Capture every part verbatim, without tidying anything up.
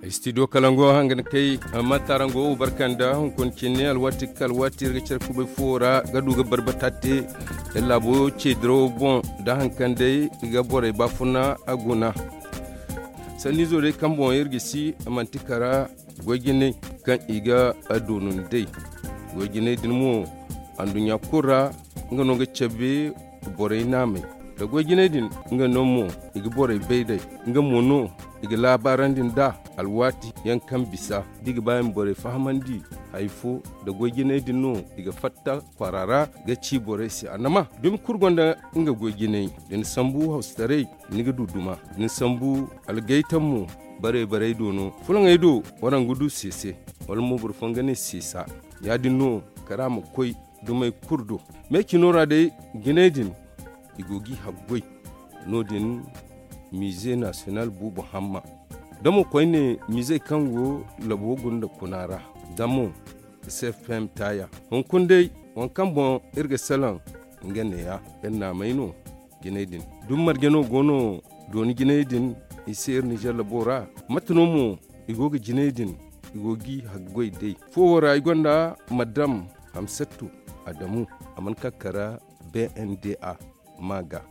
Istidiyo kalango hanga ni kay, amma taarango wo barka nda hunkuna cine alwaati kala alwaati iri ga care kubay fuwo ra ga du ga barbata te. Laabo ceedirawo boŋ da haŋ kaŋ day i ga borey baafuna a guna. Sanniizo day kaŋ boŋ iri ga si manti kara goy-jinay kaŋ i ga doonu nd'ey. Goy-jinay din mo anduɲɲa kulu ra nga no ga cabe borey naamey. Da goy-jinay din nga no mo i ga borey bay day. Nga mo no i ga laabaarandi nd'a alwaati yaŋ kaŋ bisa da i ga ba i ma borey fahamandi hari fo. Da goy-jinay din no i ga fatta kwaara ra ga ci borey se annama dumi kulu gonda nga goy-jinay. Da ni sambu hawsataray ni ga du duma. Da ni sambu algaytam mo bare-barey do no fulaŋey do waraŋ ga du seese wala mo boro fooyaŋ ga ne seesa. Ya-din no kara ma koy dumey kulu do. Me cino ra day jinay din i go g'i haggoy. No-din miize nasiyonal buubu hamma da mo koyne miizey kaŋ go labo gunda kuna ra da mo cfm taaya hunkuna day waŋ kaŋ boŋ iri ga salaŋ nga neeya. Iri naamey no jinay din dumi marje no go no dooni jinay din i se iri nizer labo ra. Mate no mo i go ga jinay din i go g'i haggoy day. Foowo ra i gonda madam hamsatu adamu a mana ka kara bnda ma ga.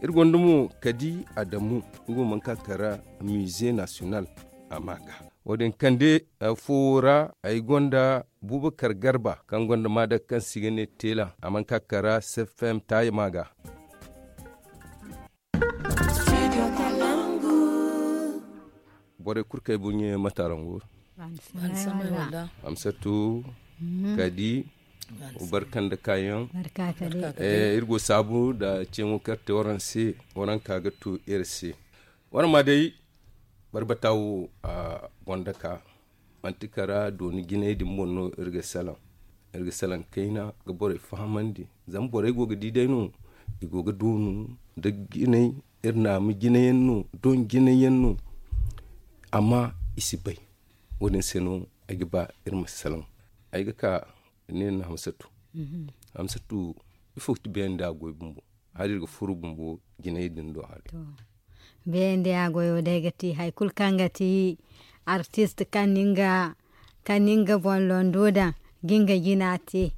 Iri gonda mo kadi adamu nga wo mana ka kara miize nasiyonal a ma ga. Wo-din kande foowo ra ay gonda buubakar garba kaŋ gonda maadaka kaŋ se i ga ne teela a mana ka kara cfm taaya ma ga. Borey kulu kaŋ ay boŋ ɲeeyaŋ mate araŋ go? Hamsatu, kadi barka nda kaayaŋ. Iri go saabu nda ceeŋo kaŋ iri te waraŋ se waraŋ ka ga to iri se. Waraŋ ma day barbata wo a gonda ka manti kara dooni jinay din boŋ no iri ga salaŋ. Iri ga salaŋ kayna ga borey fahamandi zama borey go ga di day no i go ga doonu nda jinay. Iri naama jinay yaŋ no doŋ jinay yaŋ no. Amma i si bay. Wo-din se no ay ga ba iri ma salaŋ. Ay ga ka ne ni hamsatu. Hamsatu ifo ga ti beene nda a goy bumbo hala iri ga furo bumbo jinay din do hari. Beene nda a goyo day ga ti hari kulu kaŋ ga ti artist kaŋ ni nga boŋ londo daŋ ga nga jina te.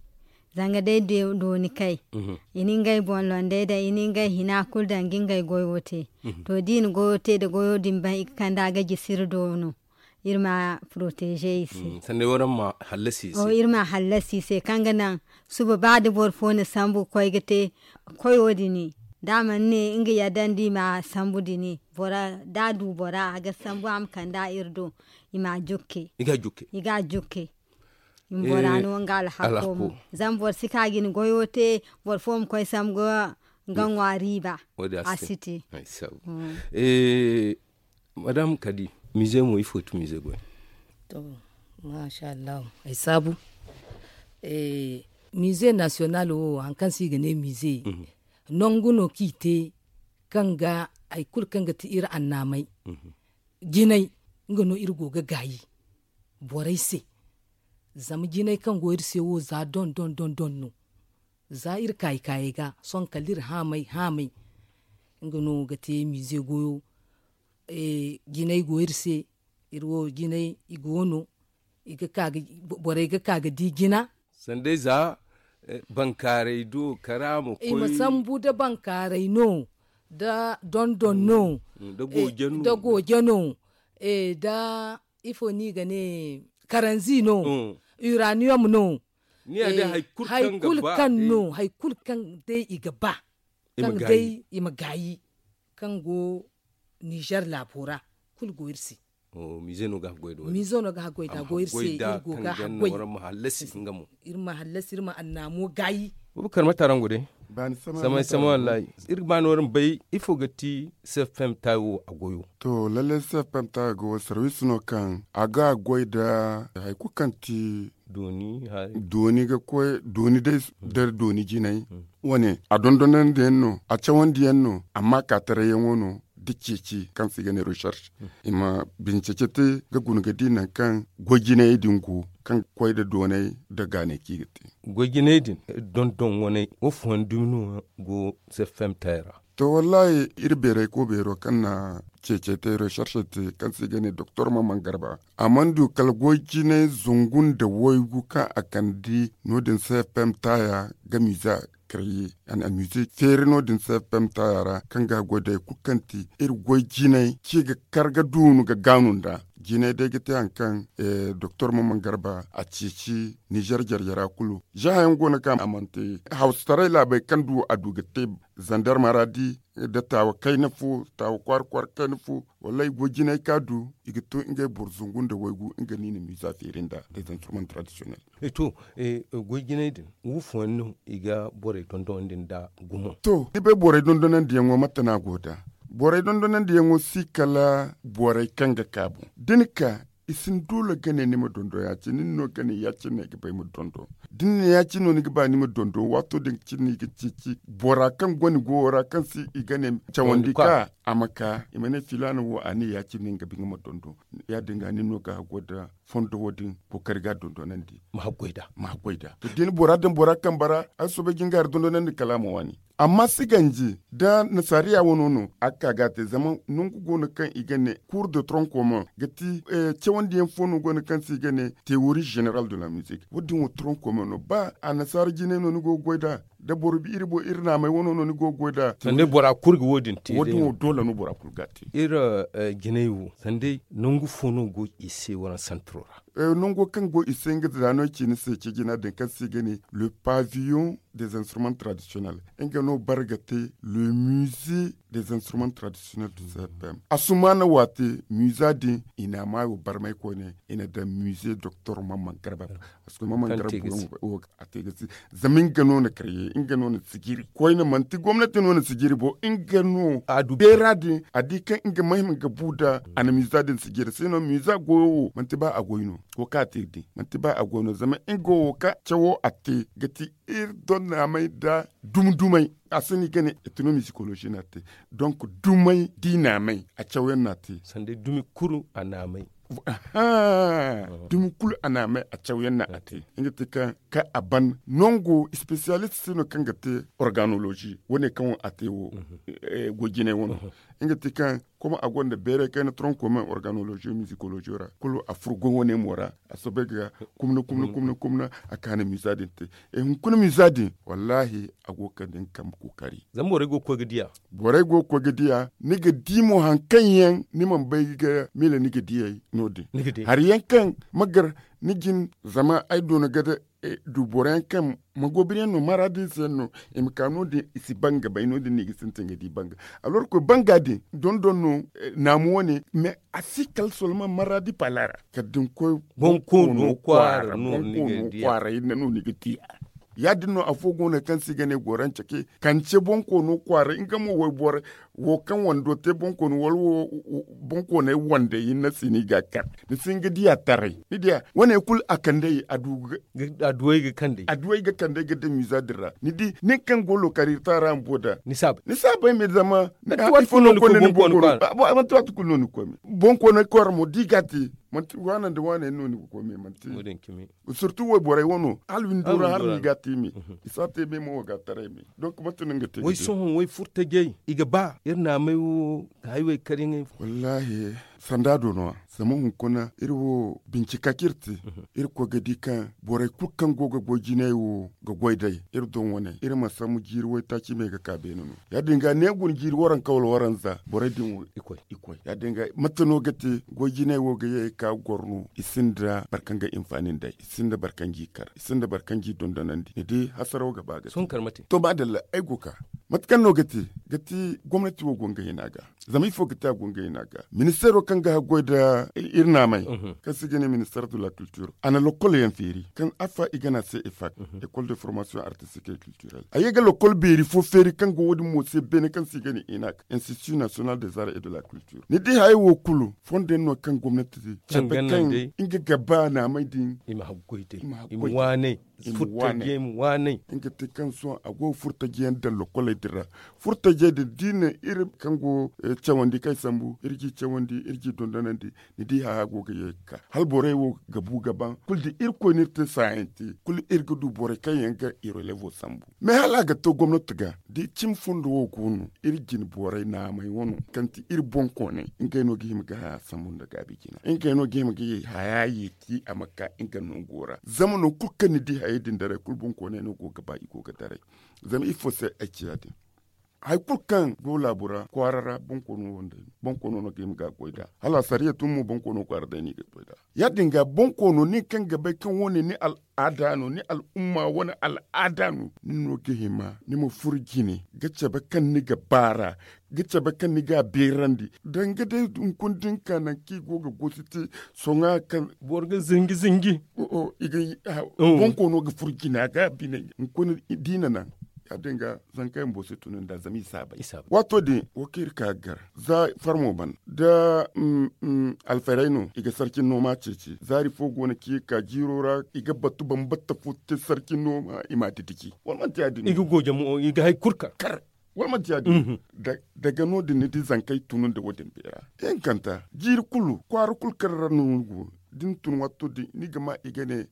Zanga day dooni kay i na ngey boŋ londey daŋ i na ngey hina kulu daŋ ga ngey goyo te. To da i na goyo te nda goyo din ban i ga kande a ga jisi iri do no. Iri ma proteger i se. Iri ma hallasi i se kaŋ ga naŋ suba ba da boro fo na sambu ga koy ga te koyo din. Da a mana ne nga yadda nda i ma sambu din bora da a du bora a ga sambu a ma kande a iri do. I ma jukke i ga jukke. I ma bora no nga alhako mo zama boro si ka ga ni goyo te boro fo ma koy sambu ga nga ŋwa riiba. A si te. Madam kadi mize mo ifo ti mize goy? To masha allahu ay saabu. Mize nasiyonal wo hari kaŋ se i ga ne mize nangu no kaŋ i te kaŋ ga hari kulu kaŋ ga ti iri annaamey jinay nga no iri go ga gaayi borey se. Zama jinay kaŋ go iri se wo za doŋ doŋ doŋ doŋ no. Za iri kaayi kaayey ga sohõ kala iri haamay haamay nga no ga te mize goyo. Jinay go iri se iri wo jinay i go no borey ga ka ga di jina. Sanday za bankaaray do kara ma koy i ma sambu nda bankaaray no nda dondon no nda gooje no nda ifo no i ga ne karanzi no uranium no. Hari kulu kaŋ no hari kulu kaŋ day i ga ba kaŋ day i ma gaayi kaŋ go nizer laabo ra kulu go iri se. Miize no ga haggoy da a go iri se iri go ga haggoy. Iri ma hallasi iri ma annaamo gaayi. Bubakar mate araŋ go day? Samay samay wallahi. Iri ga ba no iri ma bay ifo ga ti cfm tayo a goyo? To lalle cfm tayo go sarwiisi no kaŋ a ga goy nda hari kulu kaŋ ti dooni ga koy dooni day nda dooni jinay. Wane a dondonandi yaŋ no a cawandi yaŋ no amma kaataray yaŋo no da ceeci kaŋ se i ga ne recherche i ma bincece te ga guna ga di nangu kaŋ goy jinayey din go kaŋ ga koy nda doonay nda gaanay kaŋ i ga te. Goy jinay din dondon waney wo fooyaŋ dumi no go cfm tayo ra. To, wallahi, iri beeray ko beero kaŋ na ceecey te, recherche te, kaŋ se i ga ne doktor maman garba, a mana du kala goy jinay zungu nda waygu kaŋ a kande no- din se fm taaya ga miiza. Kare ye a na miiza feeri no- din se fm taaya ra kaŋ ga a goy day kulu kaŋ ti iri goy jinay ci ga kar ga duunu ga gaanu nda jinay day ga te hari kaŋ doktor maman garba a ceeci nizer jarjara kulu. Za hayaŋ go no kaŋ a mana te hawsataray laabey kaŋ du a du ga te zandar maraadi nda taawa kayna fo taawa kwaara kwaara kayna fo. Wallaahi goy jinay kaŋ a du i ga to ngey boro zangu nda waygu nga no i na miiza feeri nda nda zansurman tradisiyonel. To, goy jinay din wo fooyaŋ no i ga borey dondonandi nda gumo? To, ni bay borey dondonandiyaŋo mate no a go nd'a? Borey dondonandiyaŋo si kala borey kaŋ ga ka boŋ da ni ka i si ni doole ga ne ni ma dondo ya- cine ni no ga ne ya- cine no ay ga ba ay ma dondo. Da ni ne ya- cine no ni ga ba ni ma dondo waato din cine no i ga ceeci bora kaŋ go ni goyo ra kaŋ se i ga ne cawandi ka a ma ka i ma ne filaana wo a ne ya- cine no nga ba nga ma dondo. Ya- din ga nin no ga haggoy nda fondo wo- din kookari ga a dondonandi. Ma haggoy nd'a. Ma haggoy nd'a to da ni bora daŋ bora kambe ra a si soobay ga nga hari dondonandi kala a ma waani. Amma si ganji da nasaariya wano no a ga ka ga a te zama nangu go no kaŋ i ga ne kuur de tronc commun ga ti cawandi yaŋ fo no go no kaŋ se i ga ne théorie générale de la musique wo- din wo tronc commun no ba annasaara jinay no ni go ga goy nd'a? Da boro bi iri boŋ iri naamay wano no ni go ga goy nd'a? Sanda bora kulu ga wo- din te wo- din wo doole no bora kulu ga a te. Iri jinay wo sanda nangu fo no go i se waraŋ santiro ra? Nango kaŋ go i se nga za no ay ci ni se ci jina din kaŋ se i ga ne le pavillon des instruments traditionnels nga no bare ga te le musée des instruments traditionnels du cpm. Asumaana waate miiza din i na a maayo barmay koyne i na daŋ musée doktor mamman garba. Parce que mamman garba a te ga si zama nga no na karye nga no na sijiri koyne manti gomnati no na sijiri bo nga no a du beera din a di kaŋ nga mahim ga bu nda a na miiza din sijiri se no miiza goyo wo manti ba a goy no. Wo kaŋ a te din manti ba a goy no zama nga wo kaŋ cawo a te ga ti iri donnaamay nda dumi dumay. A si no i ga ne etno misikolozi no a te. Donk dumay da i naamay a cawyaŋ no a te. Sanda dumi kulu a naamay. Dumi kulu a naamay a cawyaŋ no a te. Nga ti kaŋ kaŋ a ban nango spesiyalist se no kaŋ ga te organolozi wo- ne kaŋ a te wo. Goy jinay wano nga ti kaŋ kuma a gonda beeray kayna tronc commun organolozi misikolozi ra kulu a furo goy wane mo ra. A soobay ga kumna kumna kumna kumna a kaani miiza din te. Hunkuna miiza din wallaahi a go ga kande nga kambe kookari. Zama borey go ga koy ga diya. Borey go ga koy ga diya ni ga di mo hari kaŋ yaŋ ni mana bay ga miila ni ga diyey no- din. Hari yaŋ kaŋ ma gar ni jin zama ay doona ga du boro yaŋ kaŋ magoobiri yaŋ no maraadinsa yaŋ no i ma ka no- din i si ban ga bay no- din no i ga sintin ga di banga. Alor koy banga din dondon no naamu wane mais a si kala solman maraadi pala ra kala da ni koy bonkoono kwaara no ni ga diya. Kwaara hinne no ni ga diya. Ya- din no afo go no kaŋ se i ga ne goranca ke kance bonkoono kwaara nga mo wayboro wo kaŋ wando te bonkoono wala wo bonkoonay wandey hinne se no i ga a kar. Ni si hin ga diya taray ni diya wane kulu a kand'ey a du ga kand'ey a du ay ga kand'ey ga daŋ miiza din ra ni di nin kaŋ go lookari taara bumbo da ni si a bay ni si a bay me zama manti waati kulu no ni ga koy me manti waati kulu no ni ga koy me. Bonkoono kwaara mo da i ga a te manti waana nda waana yaŋ no ni ga koy me manti surtu wayborey wano hala windo ra hala no i ga a te me. I si a te me mo wo ga a taray me. Donk manti no nga te way sohõ way furtajey i ga ba iri naamay wo ga hayway kar yaŋey. Wallaahi sanda do no- ya zama hunkuna iri wo bincika kaŋ iri te iri koy ga di kaŋ borey kulu kaŋ go ga goy jinay wo ga goy day iri doŋ wane iri ma sambu jiiri waytaaci me ga ka beene no. Ya- din ga ne guna jiiri waranka wala waranza borey din wo i koy. Ya- din ga mate no ga te goy jinay wo ga ye ga ka goro no i sinda boro kaŋ ga hinfaani nd'ey i sinda boro kaŋ g'i kar i sinda boro kaŋ g'i dondonandi ni di hasaraw ga ba ga te. To maadalla ay go ga ka mate kaŋ no ga te ga ti gomnati wo go nga hina ga. Zama ifo ga te a go nga hina ga ministeero kaŋ ga haggoy nda iri naamay kaŋ se i ga ne ministeer de la culture a na lokol yaŋ feeri kaŋ affa i ga ne a se efak, école de formation artistique et culturelle a ye ga lokol beeri fo feeri kaŋ go wo- din mo se beene kaŋ se i ga ne inak institut national des arts et de la culture ni di hayey wo kulu fondo yaŋ no kaŋ gomnati cabe kaŋ nga ga ba naamay din i ma haggoy day i ma waanay furtajey ma waanay. Nga te kaŋ sohõ a go ga furtaji yaŋ daŋ lokoley din ra furtaji Te din da i na iri kaŋ go cawandi kaŋ ay sambu iri ga i cawandi iri ga i dondonandi. Ni di haya go ga ye ga ka hala borey wo ga bu ga ban kulu da irkoy no iri te saayaŋ te. Kulu iri ga du borey kaŋ yaŋ ga i relevo sambu. Mais hala a ga to gomnati ga da i cimi fondo wo go no iri jine borey naamey wano kaŋ ti iri boŋkooney ngey no ga hima ga haya sambu nda gaabi jina ngey no ga hima ga ye haya ye ti a ma ka nga nango ra zama nangu kulu kaŋ ni di hayey din daray kulu boŋkooney no go ga ba i go ga daray. Zama ifo se ay ci ya- din hari kulu kaŋ go laabu ra kwaara ra bonkoono no ga hima ga a goy nd'a hala asariya tun mo bonkoono kwaara day no i ga goy nd'a. Ya- din ga bonkoono nin kaŋ ga bay kaŋ wo- ne ni al'aada no ni al'umma wane al'aada no ni no ga hima ni ma furo jine ga cabe kaŋ ni ga baara ga cabe kaŋ ni ga a beerandi. Danga day hunkuna da ni ka nangu kaŋ i go ga gosi te sohõ kaŋ boro ga zinji zinji. Bonkoono ga furo jina ga a bine hunkuna da i na naŋ. Ya- din ga zanka yaŋ boro si tun nd'a zama i si a bay. Waato din wo kaŋ iri ka ga gar za farmo ban da alfaray no i ga sarcin nooma ceeci zaari fo go no kaŋ i ga ka jiiro ra i ga batu bambata fo te sarcin nooma i ma a didiji wala manti ya- din no i ga goojamo i ga hari kulu kar. Wala manti ya- din no daga no- din ni di zankey tun nda wo- din beera. Hinkanta jiiri kulu kwaara kulu kaŋ ra no ni go da ni tun watto din ni ga ma i ga ne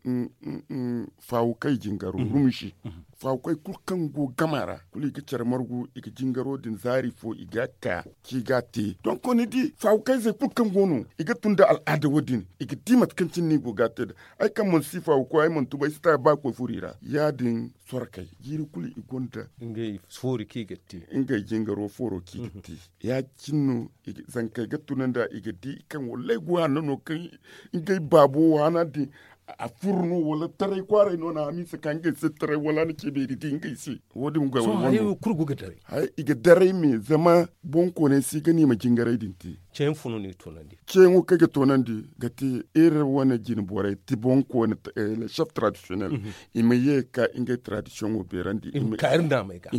faawukey jingaro rumisi. Faawukey kulu kaŋ go gama ra kulu i ga care margu i ga jingaro din zaari fo i ga a ka kaŋ i ga a te donk ni di faawukey zey kulu kaŋ go no i ga tun nda al'aada wo- din i ga di mate kaŋ cine no i go ga a te nd'a. Ay kaŋ mana si faawuko ay mana tuba ay si ta ba koy furo i ra ya- din sorkey jiiri kulu i gonda ngey foori kaŋ i ga te ngey jingaro fooro kaŋ i ga te. Ya- cine no zankey ga tun nd'a i ga di kaŋ wallaahi go hanno no kaŋ ngey baabo waana din a furo no wala taray kwaaray no na hamiisa ka ngey se taray wala a na ce beeri di ngey se. Wo- din ga wala wano kulu go ga daray. I ga daray me zama boŋkoonay si ga no i ma jingaray din te. Ceeyaŋ fo no no i ga toonandi ceeyaŋo kaŋ i ga toonandi ga te iri wane jine borey ti boŋkoonay le chef tradisiyonel i ma ye ga ka ngey tradisiyoŋo beerandi. I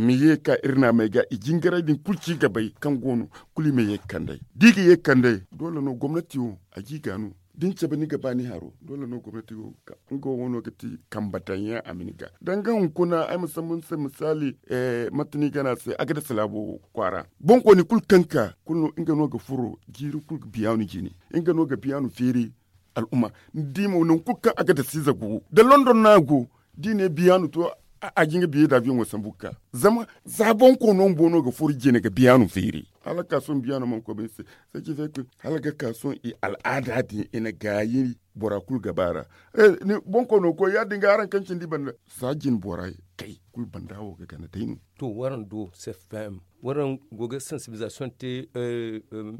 ma ye ga ka iri naamey ga i jingaray din kulu ci ga bay kaŋ go no kulu i ma ye ga kand'ey da i ga ye ga kand'ey doole no gomnati wo a ga i ga no da ni cabe ni ga ba ni haro doole no gomnati wo ga ka nga wo no ga ti kambe daŋ yaŋ a ma ni ga danga hunkuna ay ma sambu ni se misaali mate no i ga ne a se a ga dasa laabo kwaara boŋkooni kulu kaŋ ka kulu no nga no ga furo jiiri kulu ga biyaanu jine nga no ga biyaanu feeri. Al'umma ni di mo nangu kulu kaŋ a ga dasa ize go da london no a go da i ne biyaanu to a ga nga biyey da abiyoŋo sambu ga ka zama za boŋkooni no bumbo no ga furo jine ga biyaanu feeri. Hala ga ka sohõ biyaano mana koy ba ni se. Hala ga ka sohõ i al'aada din i na gaayi bora kulu ga ba ra. Boŋ koy no koy ya- din ga araŋ kaŋ cindi banda za jine bora kay kulu banda wo ga gana day no. To waraŋ do cfm waraŋ go ga sansibilizasiyoŋ te.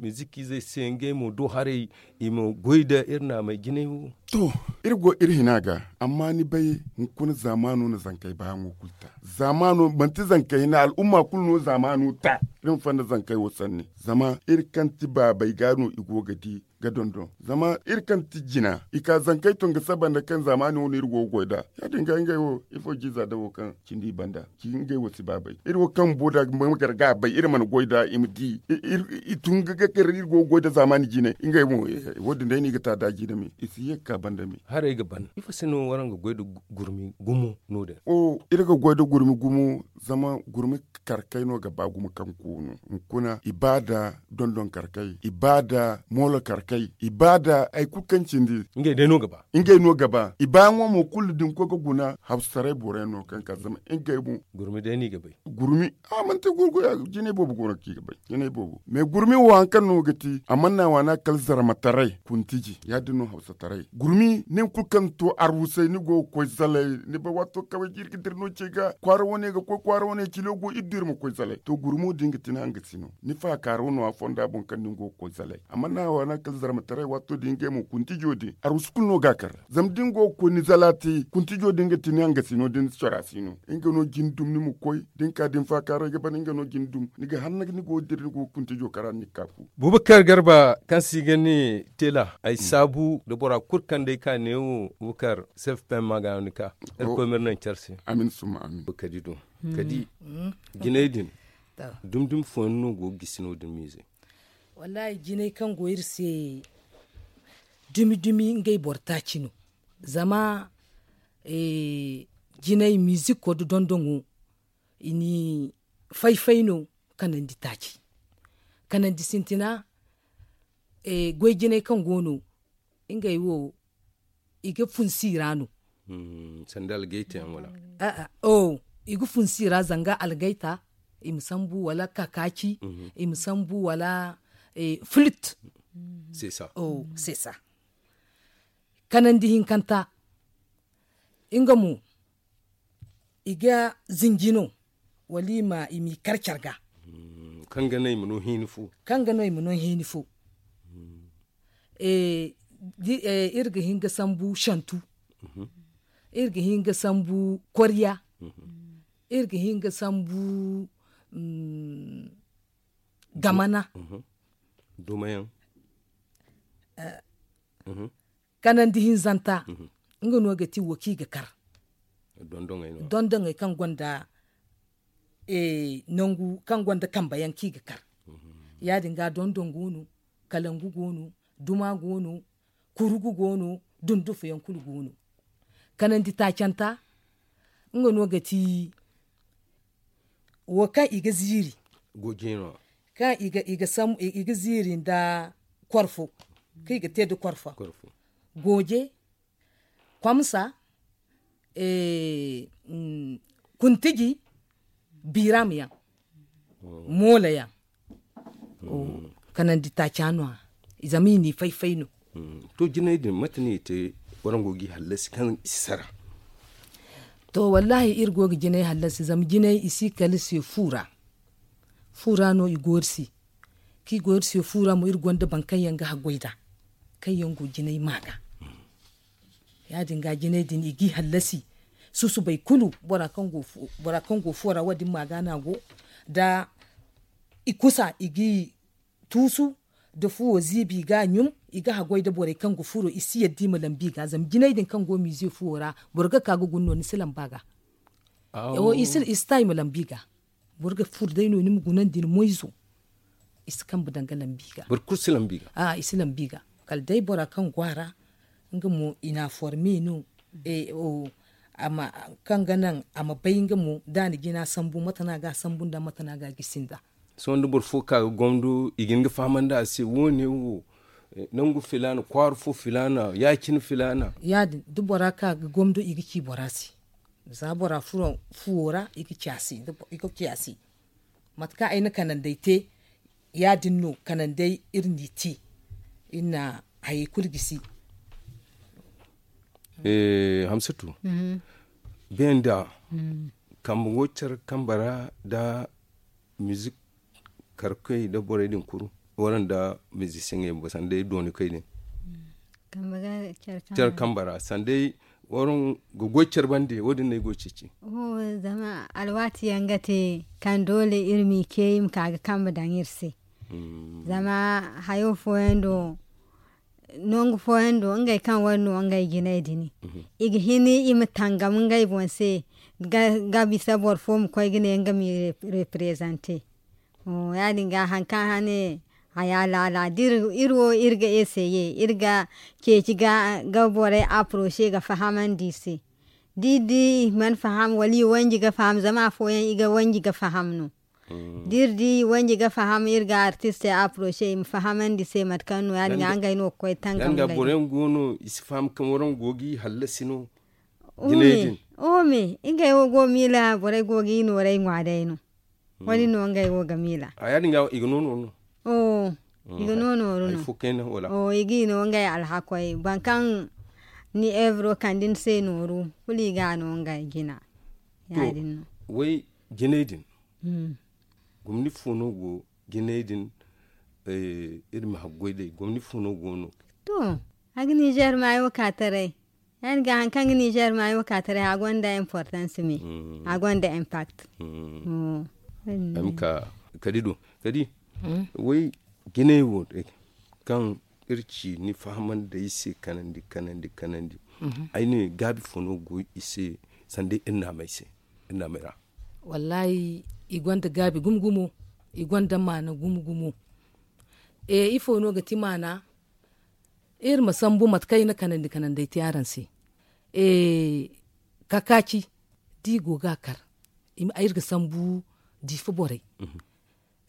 Mizik izey se ngey mo do haray i ma goy nda iri naamey jinay wo. To iri go iri hina ga amma ni bay hunkuna zaamaano na zankey baayaŋo kulu ta. Zaamaano manti zankey hina al'umma kulu no zaamaano ta. Iri ma fanda zankey wo sanni zama iri kaŋ ti baabey ga no i go ga di ga dondon zama iri kaŋ ti jina i ka zankey tun ga saba nda kaŋ zaamaani wo no iri go ga goy nd'a. Ya- din ga ngey wo ifo jiiza dawo kaŋ cindi i banda ci ngey wo si ba bay iri wo kaŋ bumbo da ma gar ga a bay iri mana goy nd'a i ma di. I tun ga gar iri go ga goy nda zaamaani jine ngey mo. Wo- din day no i ga ta da jine me i si ye ga ka banda me. Haray ga ban ifo se no waraŋ ga goy nda gurmi gumo no- din? Iri ga goy nda gurmi gumo zama gurmi karkay no ga ba gumo kaŋ koonu hunkuna i ba nda dondon karkay i ba nda moolo karkay i ba nda hari kulu kaŋ cindi. Ngey no ga ba i baayaŋo mo kulu da ni koy ga guna hawsataray borey no kaŋ ka zama ngey mo. Gurmi day no i ga bay. Gurmi a manti gurgu ya jinay boobo go no kaŋ i ga bay. Jinay boobo mais gurmi wo hari kaŋ no ga ti a mana waana kala zarmataray kuntiji ya- din no hawsataray gurmi nin kulu kaŋ to arwusay ni go ga koy zalay. Ni bay waato kaŋ iri ga dira no ce ga kwaara wane ga koy kwaara wane cilo go iri du iri ma koy zalay to gurmo din ga ti ni hangasino ni faakaaro no a fonda boŋ kaŋ din go ga koy zalay a mana waana kala zarmataray waato din ngey mo kuntijo din arwusu kulu no ga a kar zama da ni go ga koy ni zala te kuntijo din ga ti ni hangasino da ni cora si no. Nga no jin dum ni ma koy da ni ka da ni faakaaray ga ban nga no jin dum ni ga hanna ni go ga dira ni go ga kuntijo kara ni ga ka fu. Bubakar garba kaŋ se i ga ne tela ay saabu nda bora kulu kaŋ day ka neewo bubakar self pem ma ga no ni ka. Irkoy ma iri naŋ care se. Amin summa amin. Kadi do kadi jinay din dumi dumi fooyaŋ no go ga gisi no- din miize. Wallaahi jinay kaŋ go iri se dumi dumi ngey boro taaci no. Zama jinay miizikko nda dondoŋo i ni fay fay no. kanandi taaci. Kanandi sintina goy jinay kaŋ go no ngey wo i ga funsi ra no. Sanda algayta yaŋ wala? I ga funsi ra zanga algayta, i ma sambu wala kakaaci, i ma sambu wala fulit. Sesa. Kanandi hinkanta nga mo i ga zinji no wala i m'i kar care ga. Kaŋ ga no i ma no hiini fo. Iri ga hin ga sambu santu. Iri ga hin ga sambu kwarya. Iri ga hin ga sambu gamana. Dumayaŋ. Kanandi hinzanta nga no ga ti wo kaŋ i ga kar. Dondoŋey kaŋ gonda nangu kaŋ gonda kambe yaŋ kaŋ i ga kar. Ya- din ga dondoŋ go no, kalangu go no, duma go no, kurugu go no, dundufa yaŋ kulu go no. Kanandi taacanta nga no ga ti wo kaŋ i ga ziiri kaŋ i ga ziiri nda korfo kaŋ i ga te nda korfo. Gooje, kwamsa, kuntiji, biiram yaŋ, moola yaŋ. Kanandi taaca no- ya zama i n'i fay-fay no. To jinay din mate no i te? Waraŋ go g'i hallasi kaŋ i si sara. To wallaahi iri go ga jinay hallasi zama jinay i si kala se fu ra. Fu ra no i go iri se. Kaŋ i go iri se fu ra mo iri gonda boro kaŋ yaŋ ga haggoy nd'a kaŋ yaŋ go jinay ma ga. Ya- din ga jinay din i g'i hallasi susubay kulu. Bora kaŋ go fu ra wo- din ma ga no a go da i kusa i g'i tuusu nda fuwo ziibi i ga a ɲum. I ga haggoy nda borey kaŋ ga furo i si yadda i ma lambu i ga zama jinay din kaŋ go miize fuwo ra boro ga ka ga guna no ni si lambu a ga. I si ta i ma lambu i ga. Boro ga furo day no ni ma gunandi ni moyzo. I si kambe daŋ ga lambu i ga. Boro kulu si lambu i ga. I si lambu i ga. Kala day bora kaŋ go a ra nga mo i n'a forme no. Kaŋ ga naŋ a ma bay nga mo da a na jina sambu mate no a ga a sambu nd'a mate no a ga a gisi nd'a. Sohõ da boro fo ka ga gomdo i ga hin ga fahamandi a se wo- ne wo nangu filaana kwaara fo filaana ya- cine filaana. Ya- din da bora ka ga gomdo i ga ci bora se. Za bora furo fuwo ra i ga ci a se. Mate kaŋ ay na kanandey te ya- din no kanandey iri n'i te. Iri na hayey kulu gisi. Hamsatu, bee nda kambe go care kambe ra nda mizik karkoy nda borey din kulu waraŋ nda mizisiyeŋey bumbo sanda day dooni koy din. Care kambe ra sanda day waraŋ ga goy care bande wo- din no ay go ga ceeci. Zama alwaati yaŋ ga te kaŋ doole iri m'i ce i ma ka ga kambe daŋ iri se. Zama hayo fooyaŋ do nangu fooyaŋ do ngey kaŋ wane no ngey jinay din i ga hin i ma tangam ngey boŋ se. Ga bisa boro fo ma koy ga ne nga m'i reprezante. Ya- din ga hari kaŋ hane haya laala da iri wo iri ga eseye iri ga ceeci ga borey aproche ga fahamandi i se. Da iri di i mana faham wala i wanji ga faham zama afooyaŋ i ga wanji ga faham no. Da iri di i wanji ga faham iri ga artistey aproche i ma fahamandi i se mate kaŋ no ya- din ga ngey no ga koy tangam. Boroyaŋ go no i si faham kaŋ waraŋ go ga i hallasi no. Jinay din. Ome ngey wo go ga miila borey go ga i nooray ŋwa day no. Wo- din no ngey wo ga miila. A ya- din ga i ga no nooru no. I ga no nooru no. I ga i no ngey alhakoy boro kaŋ ni evro kande ni se nooru kulu i ga a no ngey jina. Ya- din no. Way jinay din gomni fo no go jinay din? Iri ma haggoy day gomni fo no go no? To a ga nizer maayo ka taray. Ya- din ga hari kaŋ ga nizer maayo ka taray a gonda importance me. A gonda impact. Ay ma ka kadi do kadi. Way jinay wo day kaŋ iri ci ni fahamandi ay se kanandi kanandi kanandi. Ay ne gaabi fo no go i se sanda iri naamay se iri naamay ra? Wallaahi i gonda gaabi gumo gumo. I gonda maana gumo gumo. Ifo no ga ti maana? Iri ma sambu mate kaŋ ay na kanandi kanandi ay te araŋ se. Kakaaci da i go ga a kar iri ga sambu diifa borey.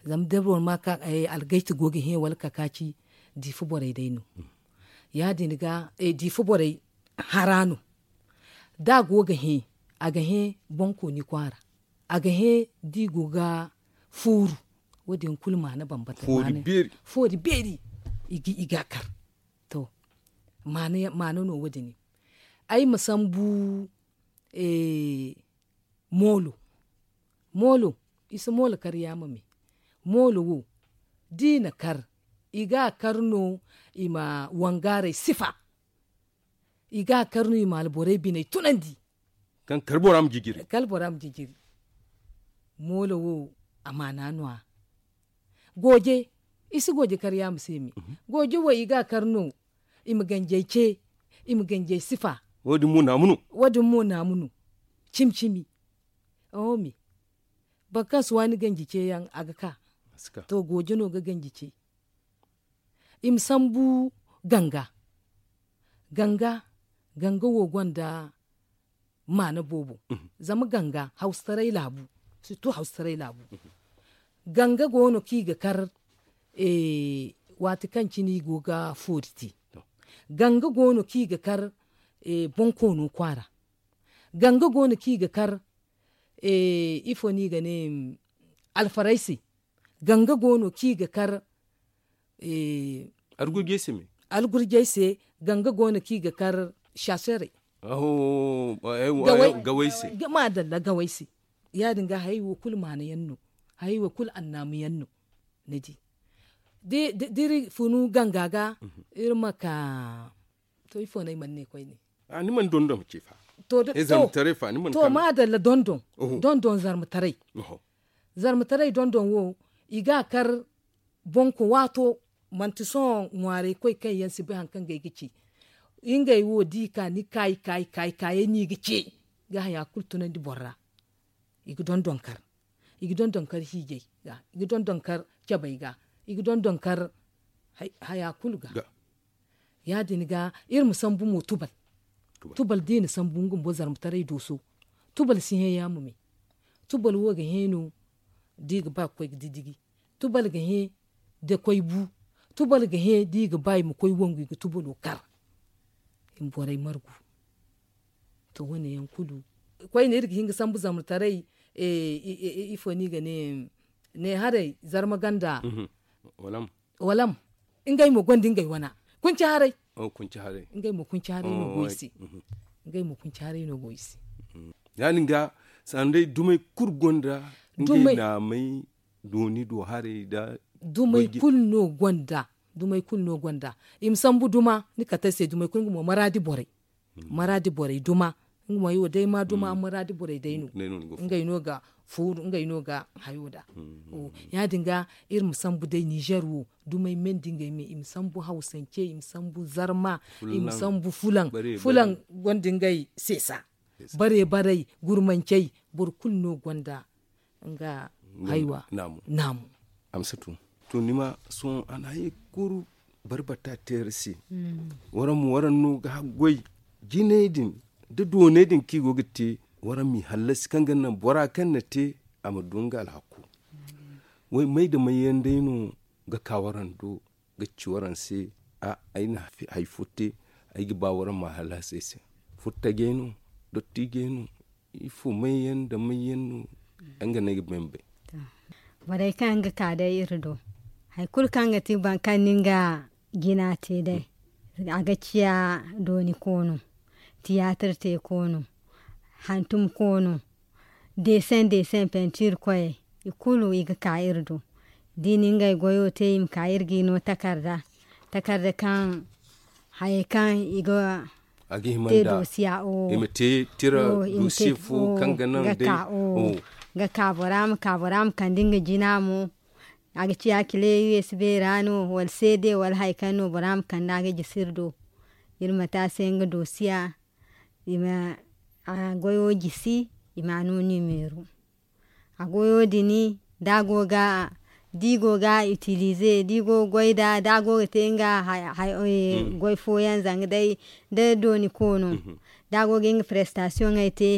Zama da boro ma ka algayta go ga hẽ wala kakaaci, diifa borey day no. Ya- din ga diifa borey hara no. Da a go ga hẽ, a ga hẽ bonkooni kwaara. A ga hẽ da i go ga fooru. Wo- din kulu maana bambata. Foori beeri. I ga a kar. To, maana no wo- din. Ay ma sambu moolo. Moolo, i si moolo kar yaama me. Moolo wo, da i na kar, i ga a kar no i ma wangaaray sifa. I ga a kar no i ma alborey biney tunandi. Kaŋ kar bora ma jijiri. Moolo wo, a maana no- ya. Gooje, i si gooje kar yaama se me. Gooje wo i ga a kar no i ma ganjey ce, i ma ganjey sifa. Wo- din mo naamu no. Cimi cimi. Oho me. Boro kaŋ si waani ganji ce yaŋ, a ga ka. To, gooje no ga ganji ce. I ma sambu ganga. Ganga, ganga wo gonda maana boobo. Zama ganga hawsataray laabu. Sirtu hawsataray laabu. Ganga go no kaŋ i ga kar waati kaŋ cine i go ga foori te. Ganga go no kaŋ i ga kar bonkoono kwaara. Ganga go no kaŋ i ga kar ifo no i ga ne, alfaray se. Ganga go no kaŋ i ga kar algurjey se. Ganga go no kaŋ i ga kar saaserey. Gawey se. Maadalla, gawey se. Ya- din ga hayey wo kulu maana yaŋ no. Hayey wo kulu annaamu yaŋ no. Ni di, da iri funu ganga ga, iri ma ka. To, ifo no ay mana ne koyne? Ni mana dondon ce fa. To, maadalla, dondon. Dondon zarmataray. Zarmataray dondon wo, i ga a kar bonko waato. Manti sohõ ŋwaaray koy kaŋ yaŋ si bay hari kaŋ ga ay ga ce. Ngey wo da i ka ni kaayi kaayi kaayi kaayey no i ga ce. Ga haya kulu tunandi boro ra. I ga dondon kar. I ga dondon kar hiijay ga. I ga dondon kar cabay ga. I ga dondon kar haya kulu ga. Ya- din ga iri ma sambu mo tubal. Tubal da i na sambu nga bumbo zarmataray dooso. Tubal si hẽ yaama me. Tubal wo ga hẽ no da i ga ba ga koy ga didigi. Tubal ga hẽ da koy bu. Tubal ga hẽ da i ga ba i ma koy wangu i ga tubalo kar. I ma borey margu. To, wo- ne yaŋ kulu koyne iri ga hin ga sambu zamrataray. Ifo no i ga ne? Ne haray zarma ganda. Walam. Ngey mo gonda ngey wana. Kunci haray. Ngey mo kunci haray no go i se. Ngey mo kunci haray no go i se. Ya- din ga sanday dumey kulu gonda ngey naamay dooni do haray da dumey kulu no gonda. Dumey kulu no gonda. I ma sambu duma ni kate se dumey kulu nga mo maraadi borey. Maraadi borey duma. Nga mo ay wo day ma duma maraadi borey day no. Ngey no ga fooru ngey no ga hayo da. Ya- din ga iri ma sambu day nizer wo dumey men da ngey me i ma sambu hawsance i ma sambu zarma, i ma sambu fulaŋ. Fulaŋ gonda ngey seesa. Bare baray gurmancey boro kulu no gonda nga haywa naamu. Amsatu, to ni ma sohõ a na hayey kulu barbata teera se. Waraŋ mo waraŋ no ga haggoy jinay din da doonay din kaŋ i go ga te. Waraŋ m'i hallasi kaŋ ga naŋ bora kaŋ na te a ma du nga alhakku. May da may yaŋ day no ga ka waraŋ do ga ci waraŋ se? Ay na hari fo te ay ga ba waraŋ ma hallasi ay se. Furtajey no, dottijey no, ifo may yaŋ nda may yaŋ no? Nga no ay ga bay ma bay. Borey kaŋ ga ka day iri do hari kulu kaŋ ga ti boro kaŋ ni nga jina te day, a ga ciya dooni koono, tiyaatir te koono, hantum koono, deeseŋ deeseŋ pentiir koyey, i kulu i ga ka iri do. Da i na ngey goyo te i ma ka iri ga i no takarda. Takarda kaŋ hayey kaŋ i ga te doosiya o i ma te tira doosiye fo kaŋ ga naŋ day ga ka bora ma ka bora ma kande nga jina mo. A ga ciya kile usb ra no wala cd wala hari kaŋ no bora ma kande a ga jisi iri do. Iri ma te a se nga doosiya i ma a goyo jisi i ma a no nimeero. A goyo din da a go ga da i go ga itilize da i go ga goy nd'a da a go ga te nga goy fooyaŋ zanga day da dooni koono da a go ga nga prestasiyoŋey te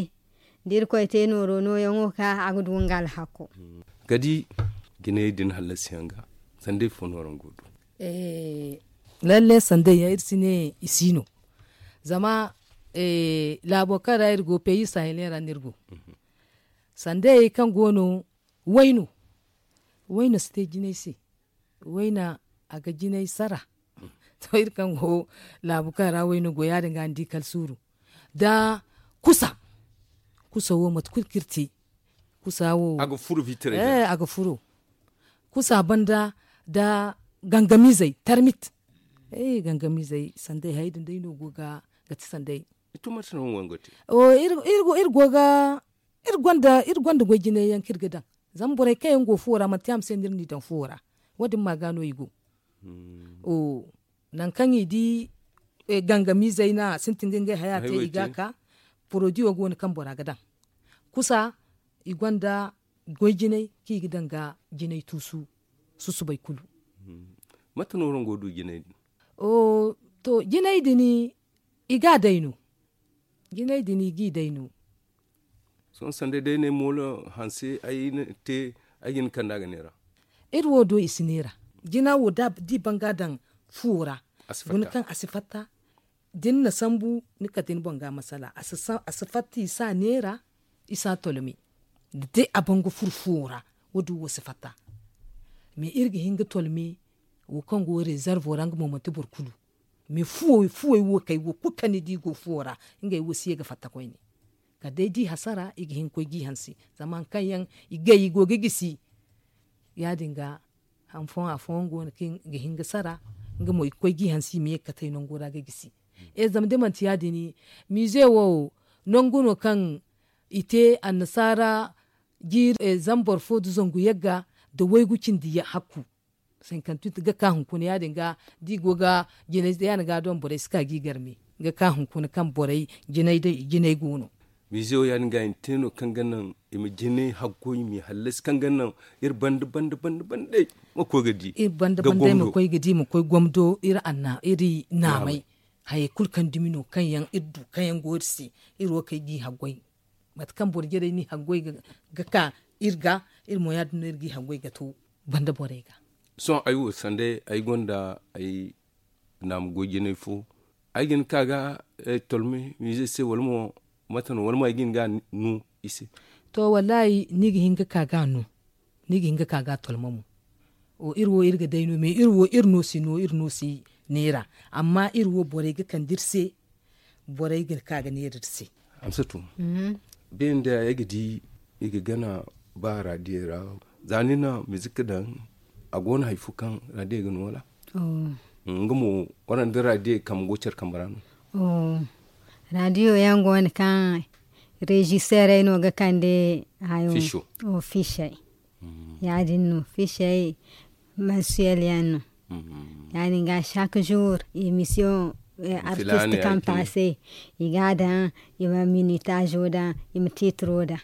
da irkoy te nooro nooyaŋo ka a ga du nga alhakko. Kadi jinayey din hallasiyaŋ ga? Sanday fo no araŋ go du? Lalle sanday yaŋ iri si ne i si no. Zama laabo kaŋ ra iri go peyi sahiley ra no iri go. Sandayey kaŋ go no, wayno wayno si te jinay se. Wayna a ga jinay sara. To iri kaŋ go laabu kaŋ ra wayno go ya- din ga ni di kala suuru nda kusa. Kusa wo mate kulu kaŋ iri te kusa wo a ga furo fitirey ga. A ga furo kusa banda nda gangamiizey tarmit. Gangamiizey sanday hayey din day no go ga ti sanday. Iri go ga iri gonda goy jinay yaŋ kaŋ iri ga daŋ. Zama borey kaŋ yaŋ go fuwo ra manti yaŋ ma se no iri n'i daŋ fuwo ra. Wo- din ma ga no i go. Nangu kaŋ i di gangamiizey no a sintin ga ngey haya te i ga a ka. Poroduwo go no kaŋ bora ga daŋ kusa i gonda goy jinay kaŋ i ga daŋ ga jinay tuusu susubay kulu. Mate no araŋ go ga du jinay din? To jinay din i ga a day no. Jinay din i g'i day no. Sohõ sanda day ne moolo hanse ay ga hin kanda ga neera. Iri wo do i si neera. Jina wo da i ban ga a daŋ fuwo ra guna kaŋ a si fatta. Da ni na sambu ni kate ni boŋ ga masala a si fatta i si a neera. I si a tolme da day a ban ga furo fuwo ra. Wo- din wo si fatta. Mais iri ga hin ga tolme wo kaŋ go rezervo ra nga mo manti boro kulu. Mais fuwey wo kay wo kulu kaŋ ni di go fuwo ra ngey wo si ye ga fatta koyne. Kala day da i hasara i ga hin ga koy ga i hanse. Zama hari kaŋ yaŋ i gay i go ga gisi. Ya- din ga hari fooyaŋ afooyaŋ go no kaŋ ga hin ga sara. Nga mo i ga koy ga i hanse i ma ye ga katay nango ra ga gisi. Zama da manti ya- din miize wo nangu no kaŋ i te annasaara jiiri zama boro fo nda zangu yagga nda waygu cindi hakku. Sinkantuti ga ka hunkuna ya- din ga da i go ga jinay ya- din ga doŋ borey si ka ga i garme ga ka hunkuna kaŋ borey jinay go no. Miize wo ya- din ga i na te no kaŋ ga naŋ i ma jinay haggoy i m'i hallasi kaŋ ga naŋ iri banda banda banda banda day ma koy ga di. Iri banda banda day ma koy ga di ma koy gomdo iri anna iri naamay. Hayey kulu kaŋ dumi no kaŋ yaŋ iri du kaŋ yaŋ go iri se. Iri wo kay ga i haggoy mate kaŋ boro jarey n'i haggoy ga ka iri ga iri mo ya- din no iri ga i haggoy ga to banda borey ga. Sohõ ay wo sanda ay gonda ay naamu goy jinay fo ay ga hin ga ka ga tolme miize se wala mo mate no wala mo ay ga hin ga a no i se? To wallaahi ni ga hin ga ka ga a no. Ni ga hin ga ka ga a tolme mo. Iri wo iri ga day no mais iri wo iri no si no iri no si neera. Amma iri wo borey ga kande iri se. Borey ga ka ga neera iri se. Hamsatu, beene day ay ga di i ga gana ba raadiyo ra. Za ni na mizik daŋ a go no hari fo kaŋ raadiyo ga no wala? Nga mo waraŋ da raadiyo kambe go care kambe ra no? Raadiyo yaŋ go no kaŋ reziseerey no ga kande hayo. Fiisey ya- din no fiisey mansiyel yaŋ no. Ya- din ga chaque jour émission artiste kaŋ passe i ga a daŋ i ma minitazo daŋ i ma titiro daŋ.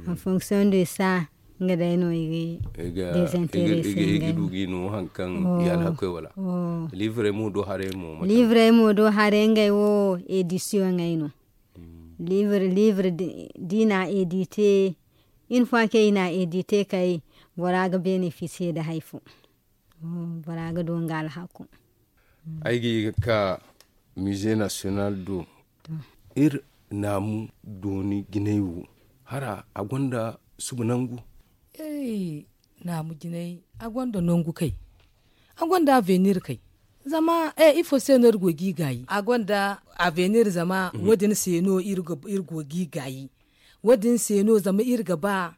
En fonction de ça nga day no i ga desinteresse i ga du ga i no hari kaŋ i alhakoy wala? Livre mo do haray mo livre mo do haray ngey wo édition ngey no. Livre livre da i na édité une fois kaŋ i na édité kay bora ga bénéficier da hari fo. Bora ga du nga alhako. Ay ga ye ga ka musée national do iri naamu dooni jinay wo hara a gonda suba nangu? Naamu jinay a gonda nangu kay. A gonda avenir kay. Zama ifo se no iri go ga i gaayi a gonda avenir zama wo- din se no iri go ga i gaayi. Wo- din se no zama iri ga ba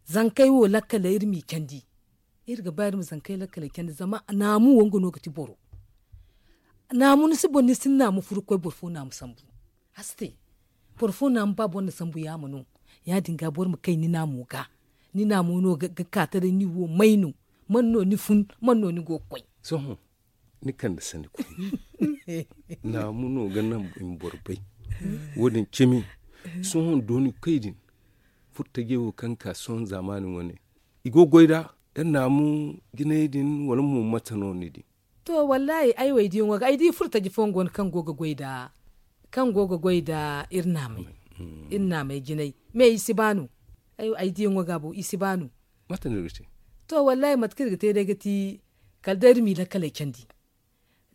zankey wo lakkaley iri m'i candi. Iri ga ba iri ma zankey lakkaley candi zama naamu wo nga no ga ti boro. Naamu ni si boro ni si ni naamu furu ga koy boro fo naamu sambu. A si te. Boro fo naamu ba boro na sambu yaama no. Ya- din ga boro ma kay ni naamo ga. Ni naamo no ga ka taray ni wo may no? Man no ni fun? Man no ni go ga koy? Sohõ ni kande sanda koyne. Naamu no ga naŋ i ma boro bay. Wo- din cimi. Sohõ dooni koy din furtajey wo kaŋ ka sohõ zaamaani wane i go ga goy nd'a? Iri naamu jinay din wala mo mate no ni di? To wallaahi ay wo ay diyaŋo ga ay di furtaji fooyaŋ go no kaŋ go ga goy nda iri naamey. Iri naamey jinay me i si ba no. Ay diyaŋo ga bo i si ba no. Mate no iri ga te? To, wallaahi mate kaŋ iri ga te day ga ti, kala day iri m'i lakkaley candi.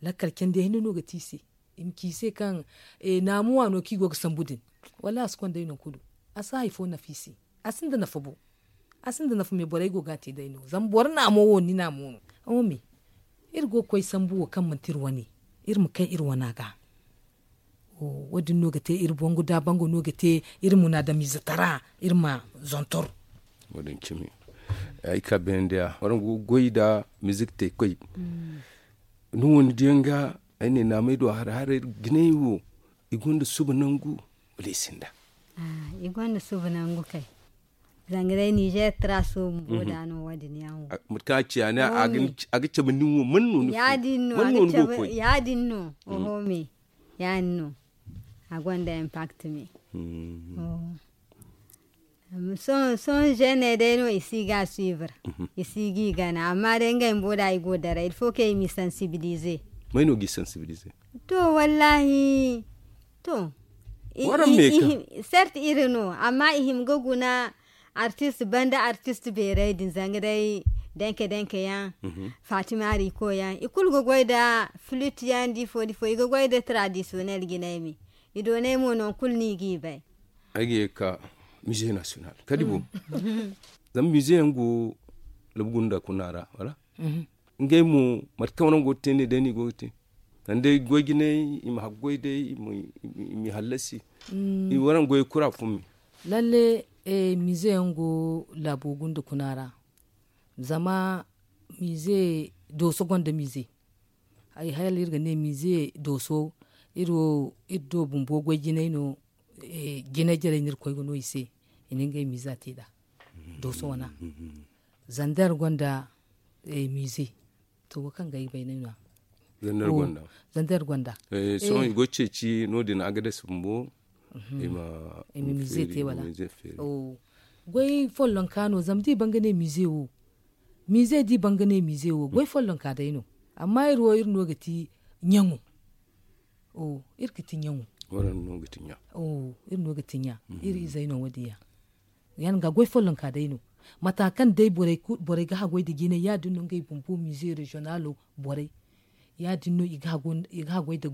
Lakkal candi hinne no ga ti i se. I ma ci i se kaŋ naamu waano kaŋ i go ga sambu din. Wallaahi a si konda i nangu kulu. A si hari fo nafa i se. A sinda nafa bo. A sinda nafa me borey go ga a te day no zama boro naamo wo ni naamo no. Iri go ga koy sambu wo kaŋ manti iri wane. Iri ma kay iri wana ga. Wo- din no ga te iri bangu da bangu no ga te iri munaadamiize tara. Iri ma zontor. Wo- din cimi. Ay ka beendiya waraŋ go ga goy nda mizik te koy. Ni wo ni diyaŋ ga ay ne naamey do haray haray jinay wo i gonda suba nangu? Wala i sinda? I gonda suba nangu kay. Zanga day nizeer tara suba bumbo da no wo- din yaŋ wo. Mate kaŋ a ci a ne a ga cabe nin wo man no ni fo? Man no ni go ga koy? Ya- din no. Oho me ya- din no. A gonda impact me. Sohõ sohõ zeeney day no i si ga a suivre. I si ga i gana amma day ngey bumbo da i go ga daray il faut que i m'i sensibiliser. May no g'i sensibiliser? To wallaahi. To. Sert iri no amma i hima ga guna. Artist banda artist beeray din zanga day denke denke yaŋ. Fatima riko yaŋ i kulu ga goy nda flute yaŋ da ifo da ifo i ga goy nda traditional jinay me. I doonay mo nangu kulu no i g'i bay. Ay ga ye ga ka mize national kadi boŋ. Zama mize yaŋ go labu gunda kuna ra wala? Ngey mo mate kaŋ waraŋ go ga te ne day no i go ga te? Zama day goy jinay i ma haggoy day i m'i hallasi. Waraŋ goy kura fo me. Lalle mize yaŋ go laabo gunda kuna ra. Zama mize dooso gonda mize. Ay hala iri ga ne mize dooso iri wo iri do bumbo goy jinay no. Jinay jarey no iri koy ga no i se i na ngey miza te nd'a. Dooso wana zander gonda mize. To wo kaŋ ga ay bay no ay no a. Zander gonda. Sohõ i go ga ceeci no- din agades bumbo. I ma mize te wala? Goy follonka no zama da i ban ga ne mize wo. Mize da i ban ga ne mize wo goy follonka day no. Amma iri wo iri no ga ti ɲaŋo. Iri ga ti ɲaŋo. Iri no ga ti ɲa. Iri izey no wo- din yaŋ. Ya- din ga goy follonka day no. Mata kaŋ day borey ga haggoy nda jinay ya- din no ngey bumbo mize reziyonalo borey. Ya- din no i ga haggoy nda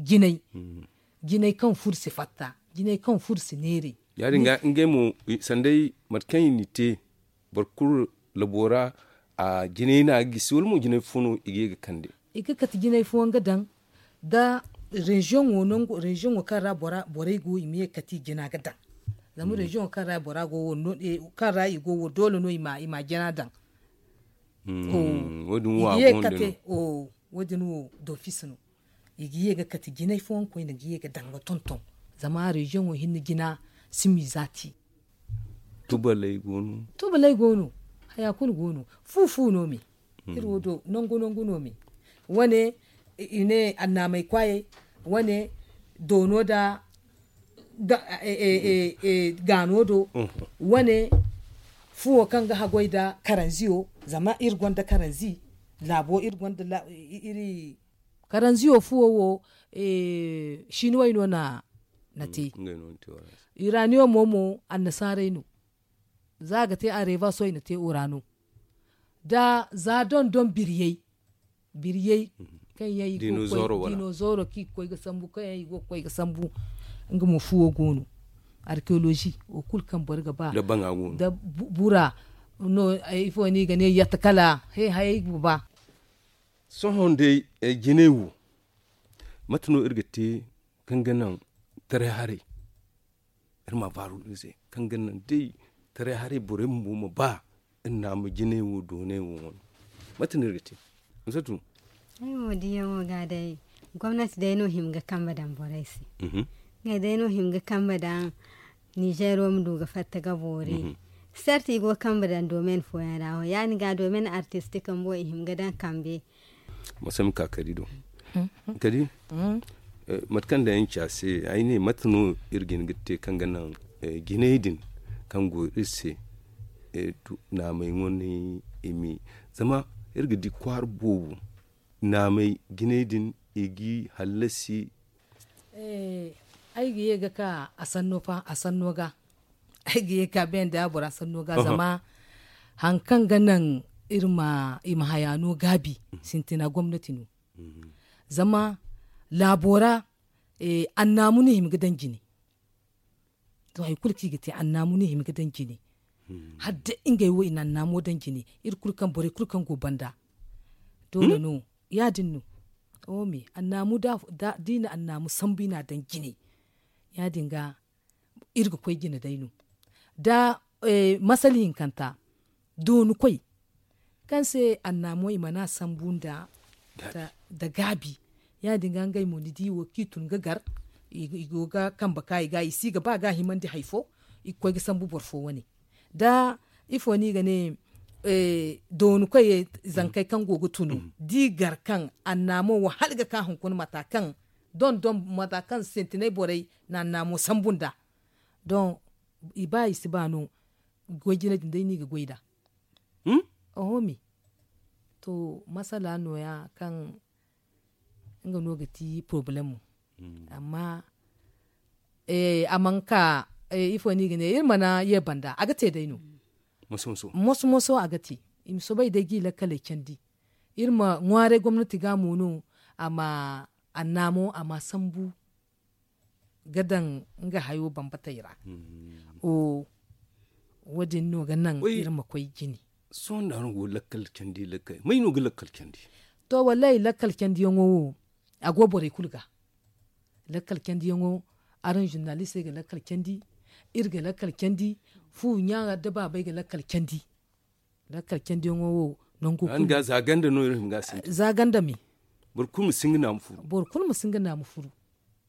jinay. Jinay kaŋ furo si fatta jinay kaŋ furo si neeray. Ya- din ga ngey mo sanda day mate kaŋ i n'i te boro kulu labo ra. Jinay no a ga gisi wala mo jinay fo no i ga ye ga kande? I ga kate jinay fooyaŋ ga daŋ nda reziyoŋo nangu reziyoŋo kaŋ ra borey go i ma ye ga kate i jina ga daŋ. Zama reziyoŋo kaŋ ra bora go wo kaŋ ra i go wo doole no i ma jina daŋ. Wo- din wo a go nda no. Wo- din wo dofis no. I ga ye ga kate jinay fooyaŋ koyne ga ye ga daŋ ga tonton. Zama reziyoŋo hinne jina si miiza te. Tubaley go no. Tubaley go no. Haya kulu go no. Fu fu no me. Iri wo do nangu nangu no me. Wane i ne annaamey kwaayey. Wane doono nda gaano do. Wane fuwo kaŋ ga haggoy nda karanziyo. Zama iri gonda karanzi laabo iri gonda iri karanziyo fuwo wo. Sinuwey no na te. Iraniyo mo mo annasaarey no. Za a ga te areeba soy na te urano. Da za dondon biriyey biriyey kaŋ yaŋ i go ga koy dinozooro kaŋ i ga koy ga sambu kaŋ yaŋ i go ga koy ga sambu. Nga mo fuwo go no. Arkewolozi wo kulu kaŋ boro ga ba da bura no ifo no i ga ne yatta kala he hayey ga ba. Sohõ day jinay wo mate no iri ga te kaŋ ga naŋ taray haray? Iri ma a baaru iri se kaŋ ga naŋ day taray haray borey bumbo ma ba iri naama jinay wo doonay wo wane. Mate no iri ga te? Musatu. Ay wo diyaŋo ga day gomnati day no hima ga kambe daŋ borey se. Ngey day no hima ga kambe daŋ nizeer wo ma du ga fatta ga boori. Sarti i go ga kambe daŋ domen fooyaŋ ra wo ya- din ga domen artistik bumbo i hima ga daŋ kambe. Mate kaŋ day ay na ci a se ay ne mate no iri ga hin ga te kaŋ ga naŋ jinay din kaŋ go iri se naamay ŋwanay i ma zama iri ga di kwaara boobo naamay jinay din i ga i hallasi. Ay ga ye ga ka a sanno ga ay ga ye ga ka banda bora sanno ga zama hari kaŋ ga naŋ iri ma i ma haya no gaabi. Sintina gomnati no. Zama laabo ra annaamu no i hima ga daŋ jine. To hari kulu kaŋ i ga te annaamu no i hima ga daŋ jine. Hala day ngey wo i na annaamo daŋ jine. Iri kulu kaŋ borey kulu kaŋ go banda doole no. Ya- din no. Oome annaamu da i na annaamu sambu i na a daŋ jine. Ya- din ga iri ga koy jine day no. Da masala hinkanta dooni koy kaŋ se annaamo i mana sambu nda gaabi. Ya- din ga ngey mo ni di wo kaŋ i tun ga gar i go ga kambe ka i ga i si ga ba ga himandi hari fo. I ga koy ga sambu boro fo wane da ifo no i ga ne dooni koy zankey kaŋ go ga tunu da i gar kaŋ annaamo wo hala ga ka hunkuna mata kaŋ don don mata kaŋ sintinay borey na annaamo sambu nda don i ba i si ba no. Goy jine din day no i ga goy nd'a. Oho me to masala no- ya kaŋ nga no ga ti porobalemo. Amma a mana ka ifo no i ga ne iri mana ye banda a ga te day no. Moso moso a ga te. I ma soobay day ga i lakkaley candi iri ma ŋwaaray gomnati ga mo no. A ma annaamo a ma sambu ga daŋ nga hayo bambatey ra. Wo- din no ga naŋ iri ma koy jine. Sohõ nda araŋ go ga lakkal candi lakkal may no ga lakkal candi? To wallaahi lakkal candiyaŋo wo a go borey kulu ga. Lakkal candiyaŋo araŋ zurnalistey ga lakkal candi. Iri ga lakkal candi. Fu ɲa da baabey ga lakkal candi. Lakkal candiyaŋo wo nangu kulu za ganda no iri hima ga a sintin za ganda me. Boro kulu ma si nga naamu furu. Boro kulu ma si nga naamu furu.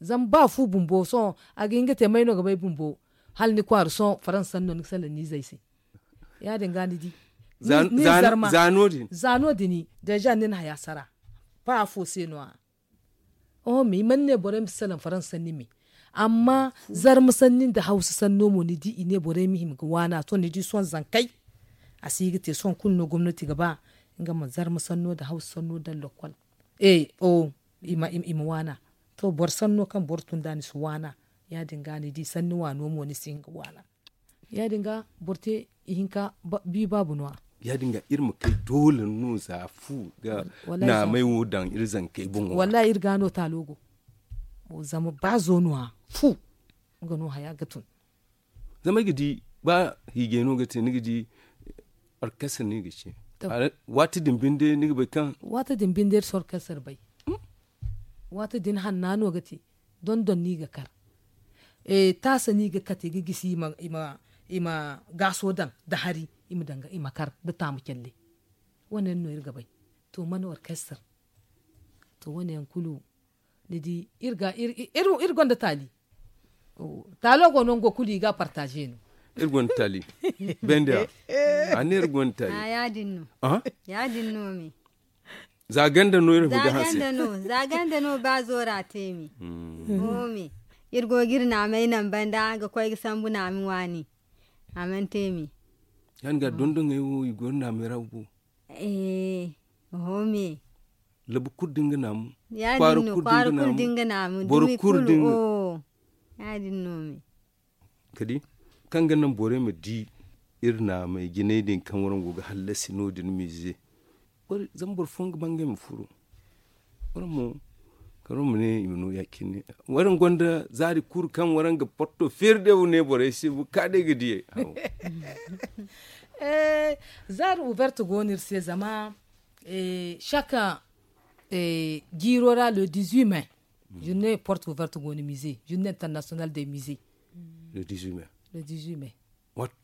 Zama ba fu bumbo sohõ a ga hin ga te may no ga bay bumbo. Hala ni kwaara sohõ faransa sanno ni ga salaŋ ni izey se. Ya- din ga ni di ni zarma za no- din za no- din. Deeza ni na haya sara ba afo se no- ya. Oho me i mana ne borey ma si salaŋ faransa sanni me. Amma zarma sanni nda hawsa sanno mo ni di i ne borey ma hima ga waana to ni di sohõ zankey. A si ga te sohõ kulu no gomnati ga ba nga ma zarma sanno nda hawsa sanno daŋ lokkol. I ma waana. To boro sanno kaŋ boro tun nd'a ni si waana. Ya- din ga ni di sanni waano mo ni si hin ga waana. Ya- din ga boro te ihinka bi baabu no- ya. Ya- din ga iri ma kay doole no za fu ga naamay wo daŋ iri zankey boŋo ra. Wallaahi iri ga no taalo go. Zama ba zo no- ya fu nga no haya ga tun. Zama ay ga di ba hiijay no ga te ni ga di orkestar no i ga ci. Waati din binde ni ga bay kaŋ waati din binde iri si orkestar bay. Waati din hanna no ga te. Dondon no i ga kar. Taasa no i ga kate ga gisi i ma gaaso daŋ nda hari i ma kar nda taamu calle. Wane yaŋ no iri ga bay. To mana orkestar. To wane yaŋ kulu ni di iri gonda taali. Taalo go nango kulu i ga a partaaze no. Iri gonda taali. Bende a ne iri gonda taali. Ya- din no me. Za ganda no iri ga hanse. Za ganda no ba zoora te me. Iri go ga iri naamay naŋ banda ga koy ga sambu naami waani. A mana te me. Ya- din ga dondoŋey wo i go iri naamay ra bumbo. Oho me. Labu kulu da nga naamu. Kwaara kulu da nga naamu. Boro kulu da nga. Ya- din no me. Kadi kaŋ ga naŋ borey ma di iri naamay jinay din kaŋ waraŋ go ga hallasi no- din miize. Zama boro fooyaŋ ga ba ngey ma furo. Waraŋ mo kala waraŋ ma ne i ma no ya- cine. Waraŋ gonda zaari kulu kaŋ waraŋ ga porto feeri day wo ne borey se bukka day ga diyey. Zaari ouverte go no iri se zama chaque jiiro ra le dix huit mai. Journée porte ouverte go no miize journée internationale des miize. Le dix huit mai. Le dix huit mai.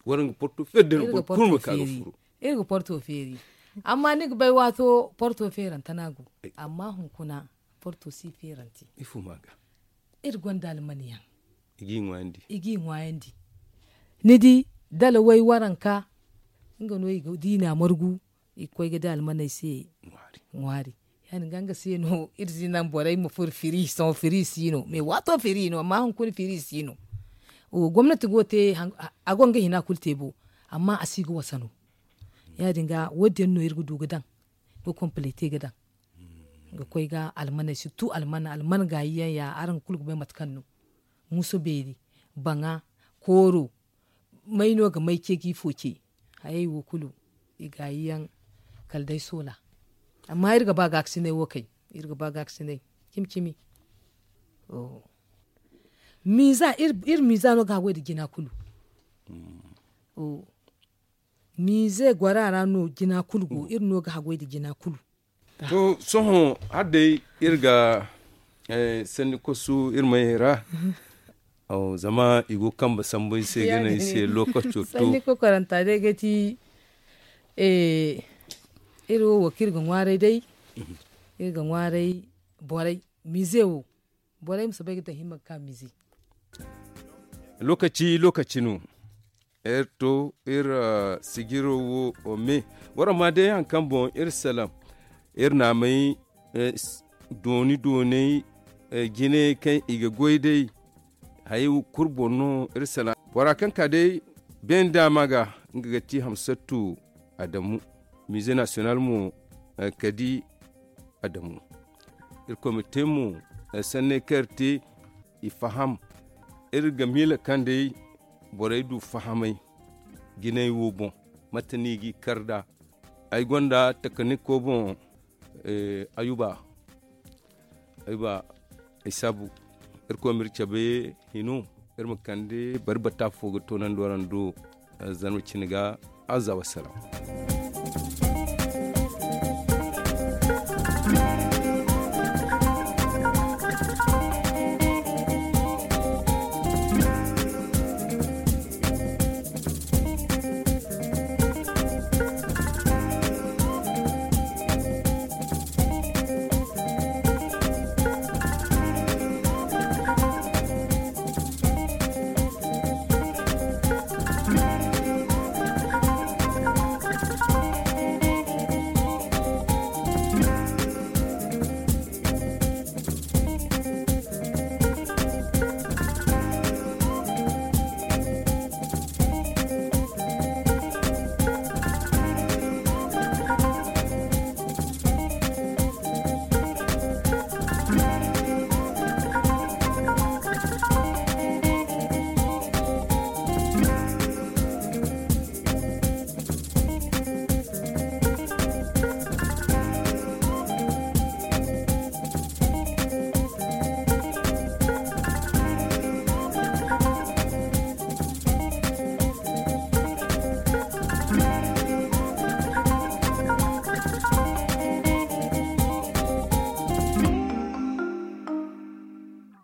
Waraŋ ga porto feeri day no boro kulu ma ka ga furo. Iri ga porto feeri. Amma ni ga bay waato porto feerante no a go. Amma hunkuna porto si feerante. Ifo ma ga. Iri gonda almaniyaŋ. I g'i ŋwaayandi. I g'i ŋwaayandi. Ni di dala way waranka nga no i ga diina margu. I ga koy ga di almaney se ŋwaari. Ya- din ga nga se no iri si naŋ borey ma furo firi sohõ firi si no mais waato firi no amma hunkuna firi si no. Gomnati go ga te a go nga hina kulu te bo. Amma a si ga wasa no. Ya- din ga wo- din yaŋ no iri ga du ga daŋ ga komplete ga daŋ ga koy ga almaney surtout almana almana gaayi yaŋ ya araŋ kulu ga bay mate kaŋ no. Musu beeri baŋa kooro may no ga may ce ga ifo ce. Hayey wo kulu i gaayi yaŋ Kala day soola. Amma iri ga ba gaakasinay wo kay. Iri ga ba gaakasinay cimi cimi. Miiza iri miiza no ga haggoy nda jina kulu. Miize gora ra no jina kulu go iri no ga haggoy nda jina kulu. To sohõ hala day iri ga sanni kosu iri mayey ra. Zama i go ga kambe sambu ay se ga ne ay se lookaco to. Sanni kokoranta day ga ti iri wo wo kaŋ iri ga ŋwaaray day. Iri ga ŋwaaray borey miize wo. Borey ma si bay ga daŋ hima ga ka miize. Lookaci lookaci no. Iri to iri sijiro wo me. Waraŋ ma day hari kaŋ boŋ iri salaŋ iri naamey dooni dooney jinayey kaŋ i ga goy day. Hayey kulu boŋ no iri salaŋ bora kaŋ ka day beene daama ga nga ga ti hamsattu adamu miize nasiyonal mo. Kadi adamu irkoy ma te mo sanney kaŋ iri te i faham. Iri ga miila kaŋ day borey du fahamay jinay wo boŋ mate no i g'i kar nd'a. Ay gonda takaniko boŋ ayuba ayuba ay saabu. Irkoy ma iri cabe hino iri ma kande bari bata fo ga toonandi waraŋ do. Zarma cine ga aza wasalaam.